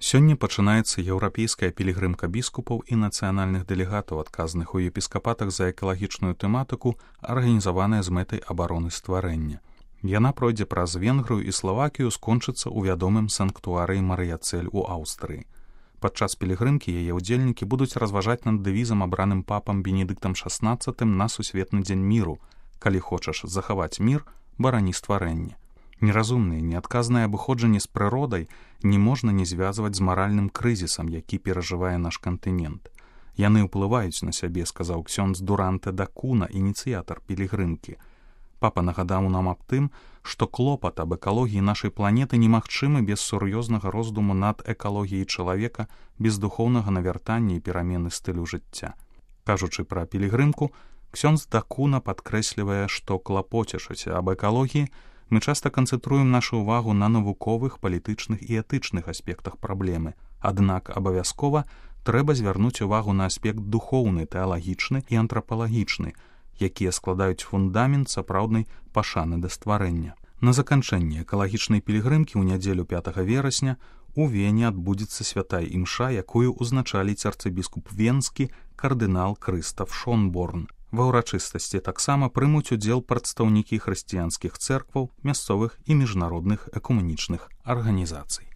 Сёння пачынаецца еўрапейская пілігрымка біскупаў і нацыянальных дэлегатаў, адказных у епіскапатах за экалагічную тэматыку, арганізаваная з мэтай абароны стварэння. Яна пройдзе праз Венгрыю і Славакію, скончыцца ў вядомым санктуарыі Марыяцэль у Аўстрыі. Падчас пілігрымкі яе ўдзельнікі будуць разважаць над дэвізам, абраным папам Бенедыктам XVI на сусветны дзень міру: «Калі хочаш захаваць мір, барані стварэнне». Неразумнае, неадказнае абыходжанне з прыродай не можна не звязваць з маральным крызісам, які перажывае наш кантынент. Яны ўплываюць на сябе, сказаў ксёндз Дуранте да Куна, ініцыятар пілігрымкі. Папа нагадаў нам аб тым, што клопат аб экалогіі нашай планеты немагчымы без сур'ёзнага роздуму над экалогіяй чалавека, без духоўнага навяртання і перамены стылю жыцця. Кажучы пра пілігрымку, ксёндз да Куна падкрэслівае, што, клапоцячыся аб экалогіі, мы часта канцэнтруем нашу ўвагу на навуковых, палітычных і этычных аспектах праблемы. Аднак абавязкова трэба звярнуць увагу на аспект духоўны, тэалагічны і антрапалагічны, якія складаюць фундамент сапраўднай пашаны да стварэння. На заканчэнне экалагічнай пілігрымкі ў нядзелю 5 верасня у Вене адбудзецца святая імша, якую ўзначаліць арцыбіскуп венскі кардынал Крыстаф Шонборн. Ва ўрачыстасці таксама прымуць удзел прадстаўнікі хрысціянскіх цэркваў, мясцовых і міжнародных экумэнічных арганізацый.